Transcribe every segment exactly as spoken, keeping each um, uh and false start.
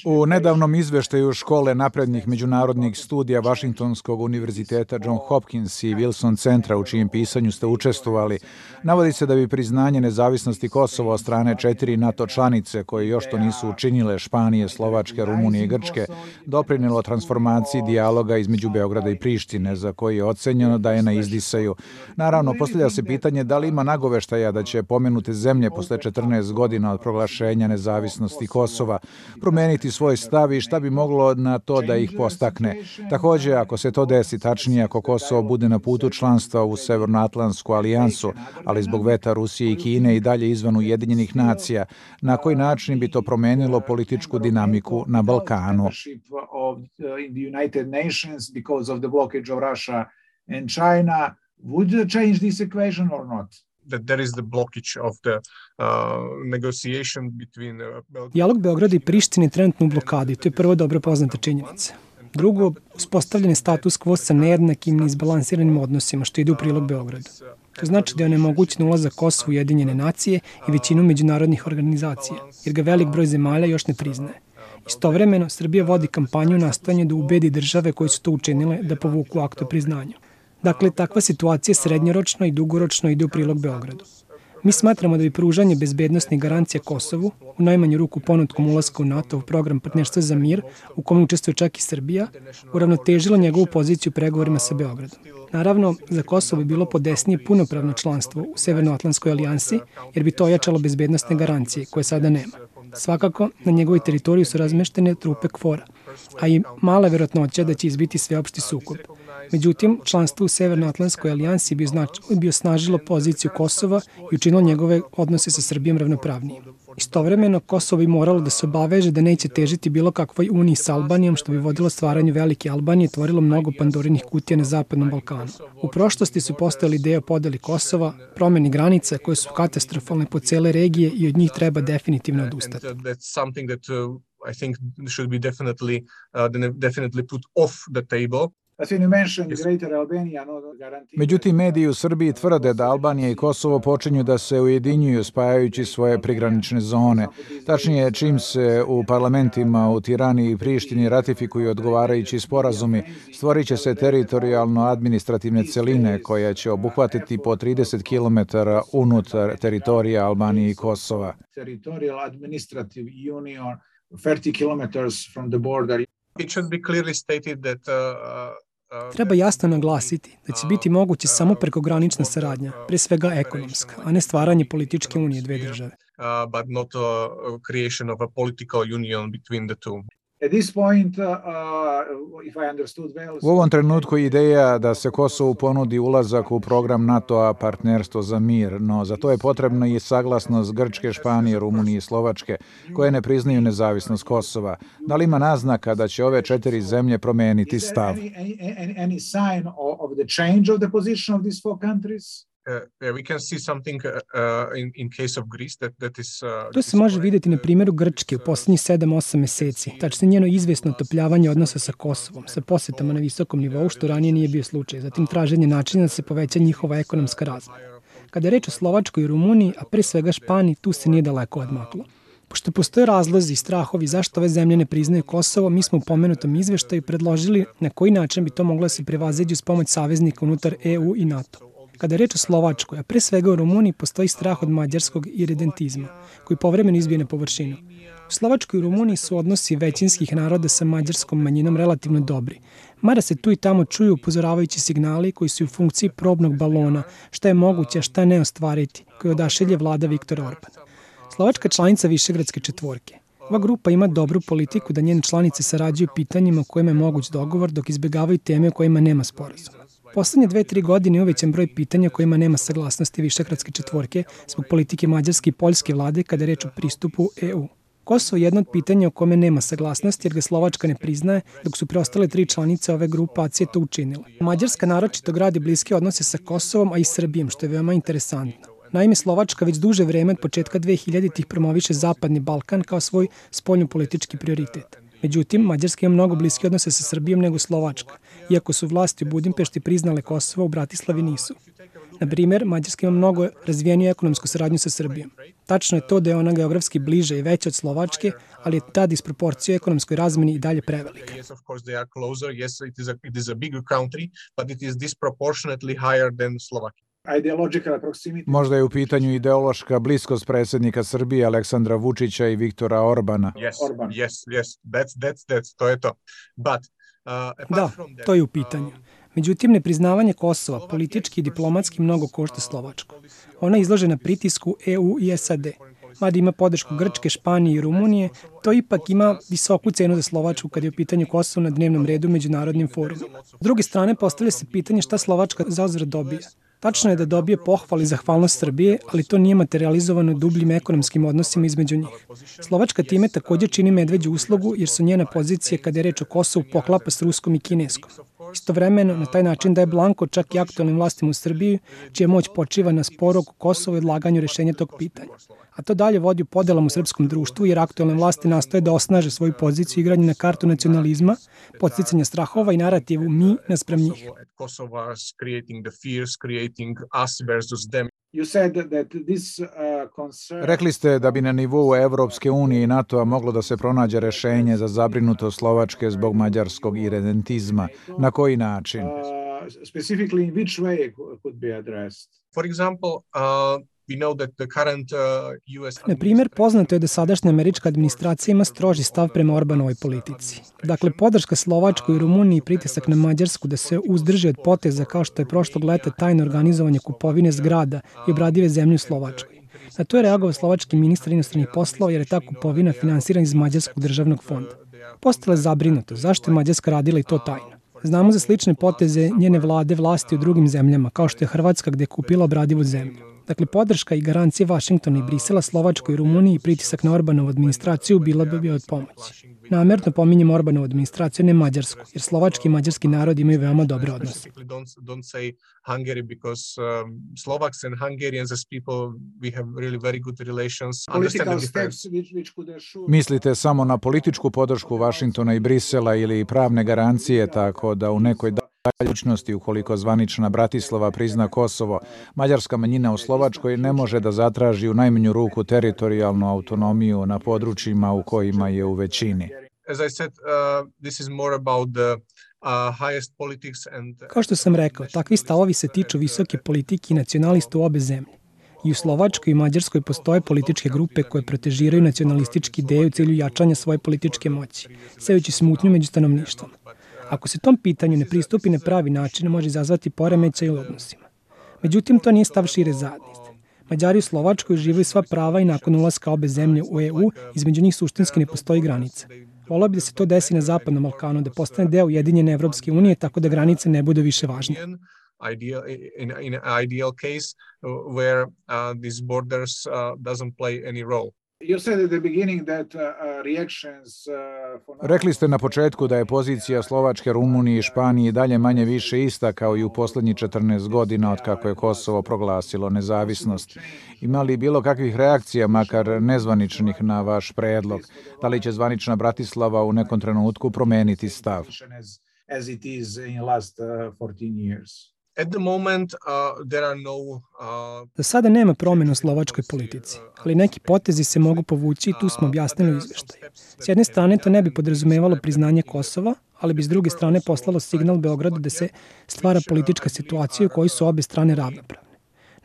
U nedavnom izveštaju Škole naprednih međunarodnih studija Vašingtonskog univerziteta John Hopkins i Wilson centra, u čijem pisanju ste učestvovali, navodi se da bi priznanje nezavisnosti Kosova od strane četiri NATO članice, koje još to nisu učinile, Španije, Slovačke, Rumunije i Grčke, doprinelo transformaciji dijaloga između Beograda i Prištine, za koji je ocenjeno da je na izdisaju. Naravno, postavlja se pitanje da li ima nagoveštaja da će pomenute zemlje posle četrnaest godina od proglašenja nezavisnosti Kosova promeniti svoj stav i šta bi moglo na to da ih postakne. Također, ako se to desi, tačnije ako Kosovo bude na putu članstva u Severnoatlantsku alijansu, ali zbog veta Rusije i Kine i dalje izvan Ujedinjenih nacija, na koji način bi to promenilo političku dinamiku na Balkanu? Dijalog Beograda i Prištine je trenutno u blokadi, to je prvo dobro poznata činjenica. Drugo, uspostavljen je status quo sa nejednakim i izbalansiranim odnosima, što ide u prilog Beogradu. To znači da je onemogućen ulazak Kosova u Ujedinjene nacije i većinu međunarodnih organizacija, jer ga velik broj zemalja još ne priznaje. Istovremeno, Srbija vodi kampanju nastojanja da ubedi države koje su to učinile da povuku akt o priznanju. Dakle, takva situacija srednjoročno i dugoročno ide u prilog Beogradu. Mi smatramo da bi pružanje bezbednosnih garancija Kosovu, u najmanju ruku ponudkom ulaska u NATO u program Partnerstva za mir, u kome učestvuje čak i Srbija, uravnotežilo njegovu poziciju u pregovorima sa Beogradom. Naravno, za Kosovo bi bilo podesnije punopravno članstvo u Severnoatlantskoj alijansi, jer bi to ojačalo bezbednosne garancije, koje sada nema. Svakako, na njegovoj teritoriji su razmeštene trupe KFOR-a, a i mala verovatnoća da će izbiti sveopšti sukob. Međutim, članstvo u Severnoatlantskoj alijansi bi, znači, bi osnažilo poziciju Kosova i učinilo njegove odnose sa Srbijom ravnopravnijim. Istovremeno, Kosovo bi moralo da se obaveže da neće težiti bilo kakvoj uniji sa Albanijom, što bi vodilo stvaranju velike Albanije i tvorilo mnogo pandorinih kutija na Zapadnom Balkanu. U prošlosti su postojali ideje o podeli Kosova, promeni granica koje su katastrofalne po cele regije i od njih treba definitivno odustati. I think should be definitely uh, definitely put off the table. Međutim, mediji u Srbiji tvrde da Albanija i Kosovo počinju da se ujedinjuju spajajući svoje prigranične zone. Tačnije, čim se u parlamentima u Tirani i Prištini ratifikuju odgovarajući sporazumi, stvorit će se teritorijalno-administrativne celine koja će obuhvatiti po trideset kilometara unutar teritorija Albanije i Kosova. thirty kilometers from the border. It should be clearly stated that uh, uh, Treba jasno naglasiti da će biti moguće samo prekogranična saradnja, pre svega ekonomska, a ne stvaranje političke unije dve države. Uh, but not a creation of a political union between the two. U ovom trenutku ideja da se Kosovu ponudi ulazak u program NATO-a Partnerstvo za mir, no za to je potrebna i saglasnost Grčke, Španije, Rumunije i Slovačke, koje ne priznaju nezavisnost Kosova. Da li ima naznaka da će ove četiri zemlje promeniti stav? To se može vidjeti na primjeru Grčke u posljednjih sedam osam meseci, tačnije njeno izvesno otopljavanje odnosa sa Kosovom, sa posjetama na visokom nivou, što ranije nije bio slučaj, zatim traženje načina da se poveća njihova ekonomska razmjera. Kada je reč o Slovačkoj i Rumuniji, a pre svega Španiji, tu se nije daleko odmaklo. Pošto postoje razlozi i strahovi zašto ove zemlje ne priznaju Kosovo, mi smo u pomenutom izveštaju predložili na koji način bi to moglo da se prevaziđe uz pomoć saveznika unutar E U i NATO. Kada je reč o Slovačkoj, a pre svega u Rumuniji, postoji strah od mađarskog iredentizma, koji povremeno izbije na površinu. U Slovačkoj i Rumuniji su odnosi većinskih naroda sa mađarskom manjinom relativno dobri, mada se tu i tamo čuju upozoravajući signali koji su u funkciji probnog balona, šta je moguće, a šta ne ostvariti, koji odašilje vlada Viktora Orbana. Slovačka članica Višegradske četvorke. Ova grupa ima dobru politiku da njene članice sarađuju pitanjima u kojima je moguć dogovor, dok izbjegavaju teme u kojima nema sporazuma. Poslednje dve, tri godine je uvećan broj pitanja kojima nema saglasnosti Višegradske četvorke zbog politike mađarske i poljske vlade kada je reč o pristupu E U. Kosovo je jedno od pitanja o kome nema saglasnosti jer ga Slovačka ne priznaje, dok su preostale tri članice ove grupacije to učinile. Mađarska naročito gradi bliske odnose sa Kosovom, a i Srbijom, što je veoma interesantno. Naime, Slovačka već duže vreme od početka dvehiljaditih promoviše Zapadni Balkan kao svoj spoljnopolitički prioritet. Međutim, Mađarska ima mnogo bliske odnose sa Srbijom nego Slovačka, iako su vlasti u Budimpešti priznale Kosovo, u Bratislavi nisu. Na primer, Mađarska ima mnogo razvijeniju ekonomsku saradnju sa Srbijom. Tačno je to da je ona geografski bliže i veća od Slovačke, ali je ta disproporcija u ekonomskoj razmeni i dalje prevelika. Možda je u pitanju ideološka bliskost predsjednika Srbije Aleksandra Vučića i Viktora Orbana. Da, to je u pitanju. Međutim, nepriznavanje Kosova politički i diplomatski mnogo košta Slovačku. Ona je izložena pritisku E U i S A D. Mada ima podršku Grčke, Španije i Rumunije, to ipak ima visoku cenu za Slovačku kad je u pitanju Kosovo na dnevnom redu međunarodnim forumima. S druge strane, postavlja se pitanje šta Slovačka zauzvrat dobija. Tačno je da dobije pohvali zahvalnost Srbije, ali to nije materializovano dubljim ekonomskim odnosima između njih. Slovačka time također čini medveđu uslugu jer su njena pozicija kada je reč o Kosovu poklapa s ruskom i kineskom. Istovremeno, na taj način daje blanko čak i aktualnim vlastima u Srbiji, čija moć počiva na sporu oko Kosova i odlaganju rješenja tog pitanja. A to dalje vodi u podelama u srpskom društvu jer aktualne vlasti nastoje da osnaže svoju poziciju igranja na kartu nacionalizma, podsticanja strahova i narativu mi naspram njih. Rekli ste da bi na nivou Evropske unije i NATO-a moglo da se pronađe rešenje za zabrinutost Slovačke zbog mađarskog iredentizma. Na koji način? For example, uh... Na primjer, poznato je da sadašnja američka administracija ima stroži stav prema Orbanovoj politici. Dakle, podrška Slovačkoj i Rumuniji i pritisak na Mađarsku da se uzdrži od poteza kao što je prošlog leta tajno organizovanje kupovine zgrada i obradive zemlje u Slovačkoj. Na to je reagovao slovački ministar inostranih poslova jer je ta kupovina finansirana iz Mađarskog državnog fonda. Postala je zabrinuto zašto je Mađarska radila i to tajno. Znamo za slične poteze njene vlade vlasti u drugim zemljama, kao što je Hrvatska gdje je kupila obradivu zemlju. Dakle, podrška i garancije Vašingtona i Brisela, Slovačkoj i Rumuniji i pritisak na Orbanovu administraciju bila bi od pomoći. Namjerno pominjem Orbanovu administraciju, ne Mađarsku, jer slovački i mađarski narod imaju veoma dobre odnose. Mislite samo na političku podršku Vašingtona i Brisela ili pravne garancije, tako da u nekoj daljučnosti, ukoliko zvanična Bratislava prizna Kosovo, mađarska manjina u Slovačkoj ne može da zatraži u najmanju ruku teritorijalnu autonomiju na područjima u kojima je u većini. Kao što sam rekao, takvi stavovi se tiču visoke politike i nacionalista u obe zemlje. I u Slovačkoj i Mađarskoj postoje političke grupe koje protežiraju nacionalistički ideje u cilju jačanja svoje političke moći, sejući smutnju među stanovništvom. Ako se tom pitanju ne pristupi na pravi način, može izazvati poremećaj u odnosima. Međutim, to nije stav šire zajednice. Mađari u Slovačkoj uživaju sva prava i nakon ulaska obe zemlje u E U, između njih suštinski ne postoji granica. Volio bi da se to desi na Zapadnom Balkanu, da postane deo Ujedinjene Evropske unije, tako da granice ne budu više važne. Ideal, in, in an ideal case where uh, these borders uh, doesn't play any role. Rekli ste na početku da je pozicija Slovačke, Rumunije i Španije dalje manje više ista kao i u posljednjih četrnaest godina od kako je Kosovo proglasilo nezavisnost. Ima li bilo kakvih reakcija, makar nezvaničnih, na vaš predlog? Da li će zvanična Bratislava u nekom trenutku promeniti stav? At the moment, uh, there are no, uh, Za sada nema promjena u slovačkoj politici, ali neki potezi se mogu povući i tu smo objasnili u izveštaju. S jedne strane to ne bi podrazumevalo priznanje Kosova, ali bi s druge strane poslalo signal Beogradu da se stvara politička situacija u kojoj su obe strane ravnopravne.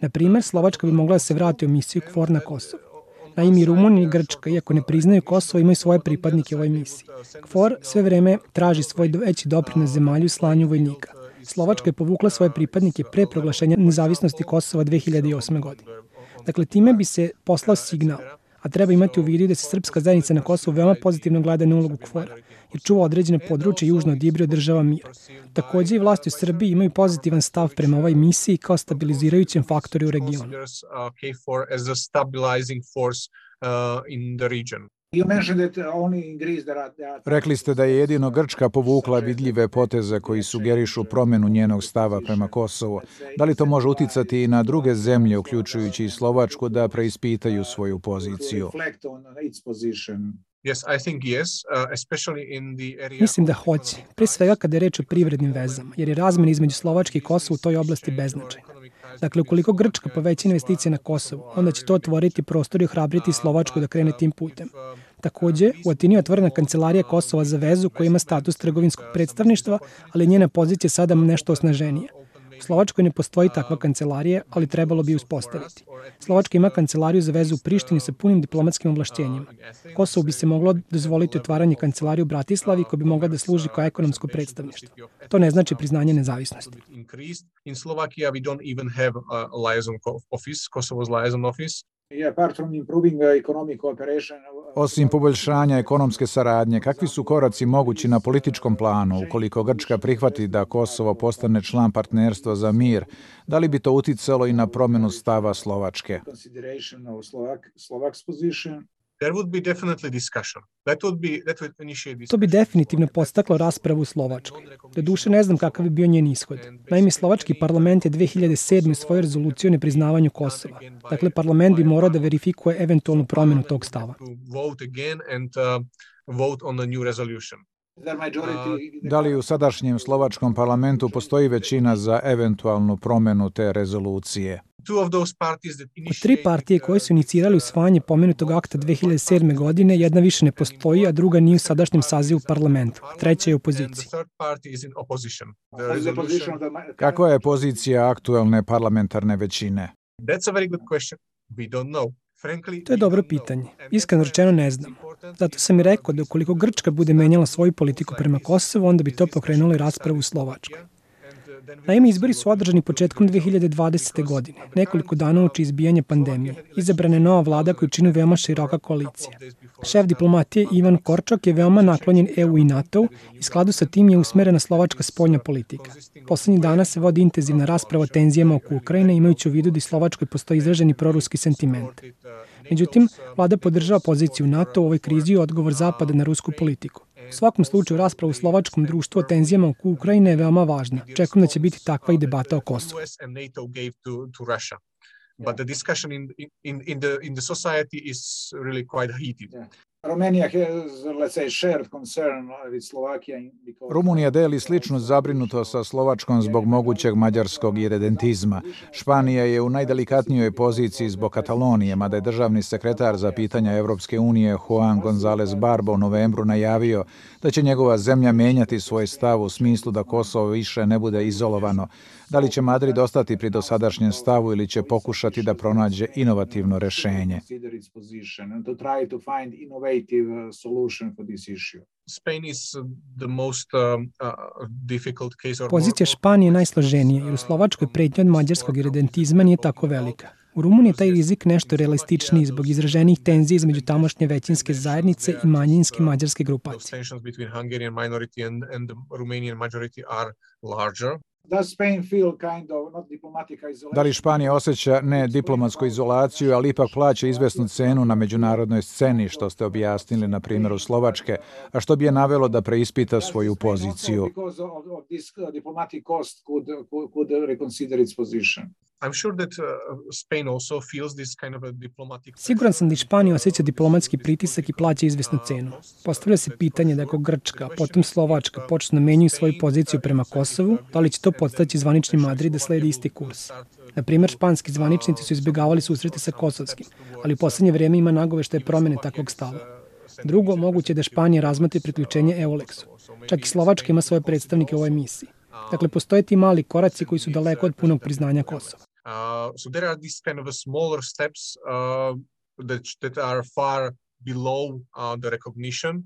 Na primjer, Slovačka bi mogla da se vrati u misiju KFOR na Kosovo. Naime, i Rumunija i Grčka, iako ne priznaju Kosovo, imaju svoje pripadnike u ovoj misiji. KFOR sve vreme traži svoj veći doprinos zemalju u slanju vojnika. Slovačka je povukla svoje pripadnike pre proglašenja nezavisnosti Kosova dve hiljade osme. godine. Dakle, time bi se poslao signal, a treba imati u vidu da se srpska zajednica na Kosovu veoma pozitivno gleda na ulogu KFOR-a, jer čuva određene područje južno od Ibra država mira. Također i vlasti u Srbiji imaju pozitivan stav prema ovoj misiji kao stabilizirajućem faktoru u regionu. Rekli ste da je jedino Grčka povukla vidljive poteze koji sugerišu promjenu njenog stava prema Kosovu. Da li to može uticati i na druge zemlje, uključujući i Slovačku, da preispitaju svoju poziciju? Mislim da hoće, pre svega kada je reč o privrednim vezama, jer je razmjena između Slovačke i Kosova u toj oblasti beznačajna. Dakle, ukoliko Grčka poveća investicije na Kosovu, onda će to otvoriti prostor i ohrabriti Slovačku da krene tim putem. Takođe, u Atini je otvorena kancelarija Kosova za vezu koja ima status trgovinskog predstavništva, ali njena pozicija sada nešto osnaženija. U Slovačkoj ne postoji takva kancelarija, ali trebalo bi uspostaviti. Slovačka ima kancelariju za vezu u Prištini sa punim diplomatskim ovlašćenjima. Kosovu bi se moglo dozvoliti otvaranje kancelarije u Bratislavi koja bi mogla da služi kao ekonomsko predstavništvo. To ne znači priznanje nezavisnosti. In Slovakia we don't even have a liaison office, Kosovo's liaison office. Osim poboljšanja ekonomske saradnje, kakvi su koraci mogući na političkom planu ukoliko Grčka prihvati da Kosovo postane član partnerstva za mir? Da li bi to uticalo i na promjenu stava Slovačke? There would be definitely discussion. That would be that would initiate discussion. To bi definitivno podstaklo raspravu u Slovačkoj. Doduše ne znam kakav bi bio njen ishod. Naime, Slovački parlament je dve hiljade sedme usvojio rezoluciju o nepriznavanju Kosova. Dakle, parlament bi morao da verifikuje eventualnu promjenu tog stava. Vote again and uh, vote on the new resolution. Da li u sadašnjem slovačkom parlamentu postoji većina za eventualnu promjenu te rezolucije? Od tri partije koje su inicirali usvajanje pomenutog akta dve hiljade sedme. godine, jedna više ne postoji, a druga nije u sadašnjem sazivu parlamentu. Treća je u opoziciji. Kakva je pozicija aktuelne parlamentarne većine? To je dobro pitanje. Iskreno rečeno ne znam. Zato sam i rekao da ukoliko Grčka bude menjala svoju politiku prema Kosovu, onda bi to pokrenulo i raspravu u Slovačkoj. Naime, izbori su održani početkom dve hiljade dvadesete. godine, nekoliko dana uoči izbijanja pandemije. Izabrana je nova vlada koju čini veoma široka koalicija. Šef diplomatije Ivan Korčok je veoma naklonjen E U i NATO-u i skladu sa tim je usmerena slovačka spoljna politika. Poslednjih dana se vodi intenzivna rasprava o tenzijama oko Ukrajine, imajući u vidu da i Slovačkoj postoji izraženi proruski sentiment. Međutim, vlada podržava poziciju NATO u ovoj krizi i odgovor Zapada na rusku politiku. U svakom slučaju, rasprava u slovačkom društvu o tenzijama oko Ukrajine je veoma važna. Čekujem da će biti takva i debata o Kosovu. But the discussion in in in the in the society is really quite heated. Rumunija deli sličnu zabrinutost sa Slovačkom zbog mogućeg mađarskog iredentizma. Španija je u najdelikatnijoj poziciji zbog Katalonije, mada je državni sekretar za pitanja Evropske unije Juan González Barbo u novembru najavio da će njegova zemlja menjati svoj stav u smislu da Kosovo više ne bude izolovano. Da li će Madrid ostati pri dosadašnjem stavu ili će pokušati da pronađe inovativno rešenje? Pozicija Španije je najsloženija, jer u Slovačkoj pretnja od mađarskog iredentizma nije tako velika. U Rumuniji je taj rizik nešto realističniji zbog izraženih tenzija između tamošnje većinske zajednice i manjinske mađarske grupacije. Da li Španija osjeća ne diplomatsku izolaciju, ali ipak plaća izvesnu cenu na međunarodnoj sceni, što ste objasnili na primjeru Slovačke, a što bi je navelo da preispita svoju poziciju? Siguran sam da i Španija osjeća diplomatski pritisak i plaća izvesnu cenu. Postavlja se pitanje da ako Grčka, potom Slovačka počnu da menjaju svoju poziciju prema Kosovu, da li će to podstaći zvanični Madrid da sledi isti kurs. Na primjer, španski zvaničnici su izbjegavali susrete sa kosovskim, ali u poslednje vrijeme ima nagoveštaje promjene takvog stava. Drugo, moguće je da Španija razmotri priključenje EULEX-u. Čak i Slovačka ima svoje predstavnike u ovoj misiji. Dakle, postoje ti mali koraci koji su daleko od punog priznanja Kosova. Uh, so there are these kind of smaller steps uh, that, that are far below uh, the recognition.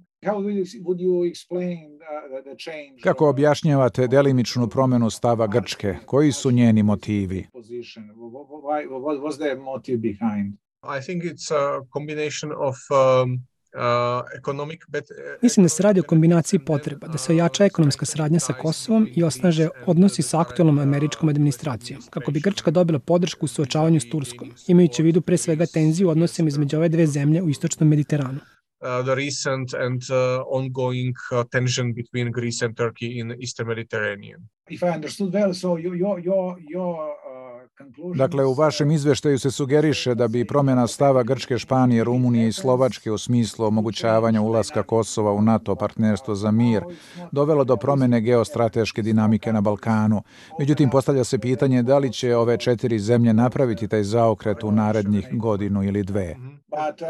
Kako objašnjavate delimičnu promjenu stava Grčke? Koji su njeni motivi? I think it's a combination of um, Uh, economic, but, uh, Mislim da se radi o kombinaciji potreba, da se ojača ekonomska saradnja sa Kosovom i osnaže odnosi sa aktualnom američkom administracijom, kako bi Grčka dobila podršku u suočavanju s Turskom, imajući u vidu pre svega tenziju u odnosima između ove dve zemlje u istočnom Mediteranu. Uh, the recent and uh, ongoing uh, tension between Greece and Turkey in the Eastern Mediterranean. If I understood well, so your your your your Dakle, u vašem izveštaju se sugeriše da bi promjena stava Grčke, Španije, Rumunije i Slovačke u smislu omogućavanja ulaska Kosova u NATO partnerstvo za mir dovelo do promjene geostrateške dinamike na Balkanu. Međutim, postavlja se pitanje da li će ove četiri zemlje napraviti taj zaokret u narednih godinu ili dve. But uh,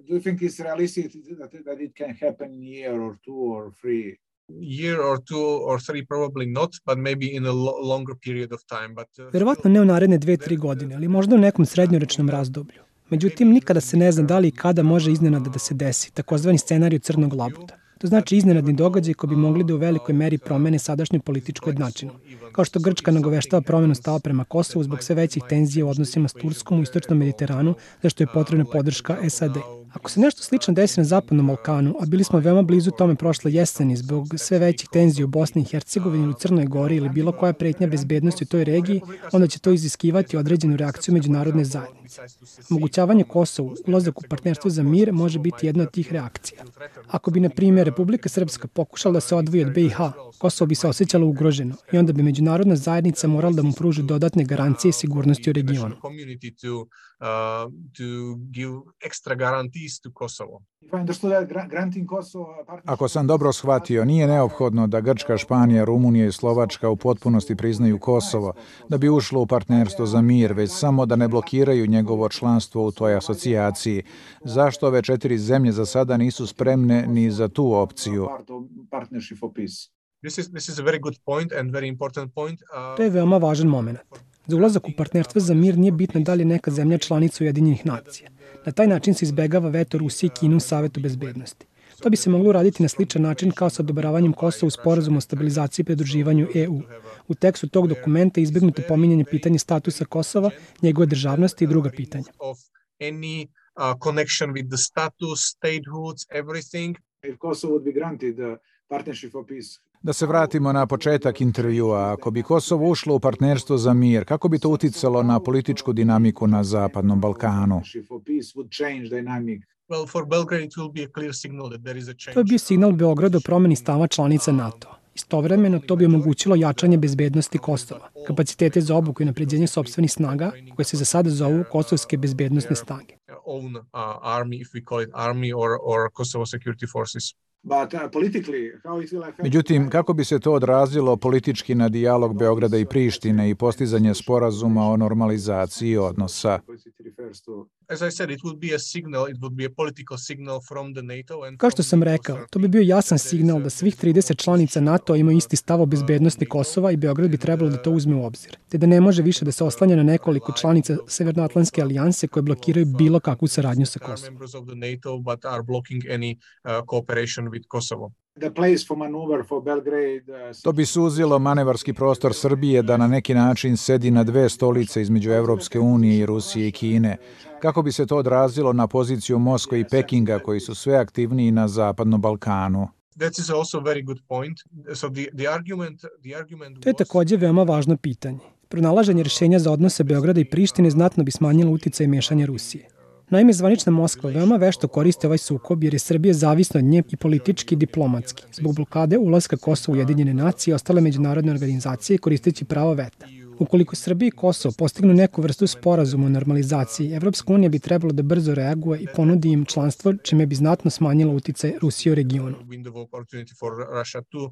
do you think it's realistic that, that it can happen in a year or two or three? Year or two or three, probably not, but maybe in a lo- longer period of time. But uh, Verovatno ne u naredne dve, tri godine, ali možda u nekom srednjoročnom razdoblju. Međutim, nikada se ne zna da li i kada može iznenada da se desi, takozvani scenarij crnog labuda. To znači iznenadni događaj koji bi mogli da u velikoj meri promene sadašnju političku jednačinu. Kao što Grčka nagoveštava promenu stava prema Kosovu zbog sve većih tenzija u odnosima s Turskom u istočnom Mediteranu, zašto je potrebna podrška S A D. Ako se nešto slično desi na Zapadnom Balkanu, a bili smo veoma blizu tome prošle jeseni zbog sve većih tenzija u Bosni i Hercegovini ili u Crnoj Gori ili bilo koja pretnja bezbednosti u toj regiji, onda će to iziskivati određenu reakciju međunarodne zajednice. Omogućavanje Kosovu, ulazak u partnerstvo za mir može biti jedna od tih reakcija. Ako bi, na primjer, Republika Srpska pokušala da se odvoji od B i H, Kosovo bi se osjećalo ugroženo i onda bi međunarodna zajednica morala da mu pruži dodatne garancije sigurnosti u regionu. Ako sam dobro shvatio, nije neophodno da Grčka, Španija, Rumunija i Slovačka u potpunosti priznaju Kosovo da bi ušlo u partnerstvo za mir, već samo da ne blokiraju njegovo članstvo u toj asocijaciji. Zašto ove četiri zemlje za sada nisu spremne ni za tu opciju? This is, this is a very good point and very important point. Uh, To je veoma važan moment. Za ulazak u partnerstvo za mir nije bitno da li je neka zemlja članica Ujedinjenih nacija. Na taj način se izbegava veto Rusije i Kine u Savetu bezbednosti. To bi se moglo uraditi na sličan način kao sa odobravanjem Kosova u sporazumu o stabilizaciji i pridruživanju E U. U tekstu tog dokumenta je izbegnuto pominjanje pitanja statusa Kosova, njegove državnosti i druga pitanja. of any uh, connection with the status, statehoods, everything. If Kosovo would be granted the partnership for peace. Da se vratimo na početak intervjua. Ako bi Kosovo ušlo u partnerstvo za mir, kako bi to uticalo na političku dinamiku na Zapadnom Balkanu? Partnership for peace would change dynamic. Well, for Belgrade, it will be a clear signal that there is a change. To je bio signal Beogradu o promeni stava članica NATO. Istovremeno, to bi omogućilo jačanje bezbednosti Kosova, kapacitete za obuku i napređenje sopstvenih snaga, koje se za sada zovu kosovske bezbednostne snage. Own uh, army, if we call it army or, or Kosovo security forces. But uh, politically, how it will affect... Međutim, kako bi se to odrazilo politički na dijalog Beograda i Prištine i postizanje sporazuma o normalizaciji odnosa? As I said, it would be a signal, it would be a political signal from the NATO. And Kao što sam rekao, to bi bio jasan signal da svih trideset članica NATO imaju isti stav o bezbednosti Kosova i Beograd bi trebalo da to uzme u obzir, te da ne može više da se oslanja na nekoliko članica Severnoatlantske alijanse koje blokiraju bilo kakvu saradnju sa Kosovom. members of the NATO, but are blocking any uh, cooperation with Kosovo. The place for maneuver for Belgrade... Uh, To bi suzilo manevarski prostor Srbije da na neki način sedi na dve stolice između Evropske unije i Rusije i Kine. Kako bi se to odrazilo na poziciju Moskve i Pekinga koji su sve aktivniji na Zapadnom Balkanu? That is also a very good point. So the, the argument, the argument To je was- takođe veoma važno pitanje. Pronalaženje rješenja za odnose Beograda i Prištine znatno bi smanjilo uticaj i mešanje Rusije. Naime, zvanična Moskva veoma vešto koristi ovaj sukob jer je Srbija zavisna od nje i politički i diplomatski, zbog blokade ulaska Kosova u Ujedinjene nacije i ostale međunarodne organizacije koristeći pravo veta. Ukoliko Srbija i Kosovo postignu neku vrstu sporazuma o normalizaciji, Evropska unija bi trebalo da brzo reaguje i ponudi im članstvo, čime bi znatno smanjilo uticaj Rusije u regionu. window of opportunity for Russia to uh,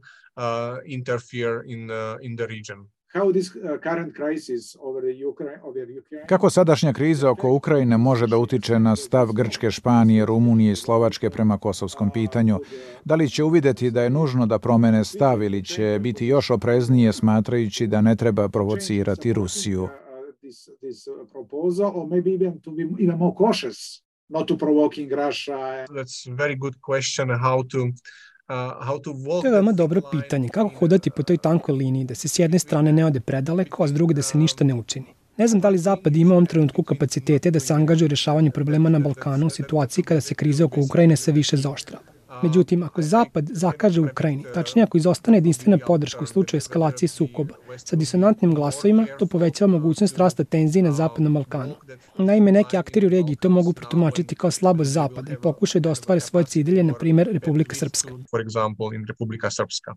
interfere in uh, in the region. How this uh, current crisis over the Ukraine, over Ukraine... Kako sadašnja kriza oko Ukrajine može da utiče na stav Grčke, Španije, Rumunije i Slovačke prema kosovskom pitanju? Da li će uvideti da je nužno da promene stav ili će biti još opreznije smatrajući da ne treba provocirati Rusiju? Uh, this, this uh, proposal, or maybe even to be even more cautious, not to provoking Russia. That's a very good question. How to uh, how to walk. To je veoma that dobro line. pitanje, kako hodati po toj tankoj liniji, da se s jedne strane ne ode predaleko, a s druge da se ništa ne učini. Ne znam da li Zapad ima u ovom trenutku kapacitete da se angažuje u rješavanju problema na Balkanu u situaciji kada se kriza oko Ukrajine sve više zaoštrava. Međutim, ako Zapad zakaže u Ukrajini, tačnije ako izostane jedinstvena podrška u slučaju eskalacije sukoba sa disonantnim glasovima, to povećava mogućnost rasta tenzije na Zapadnom Balkanu. Naime, neki akteri u regiji to mogu protumačiti kao slabost Zapada i pokušaju da ostvare svoje ciljeve, na primjer Republika Srpska. For example, in Republika Srpska.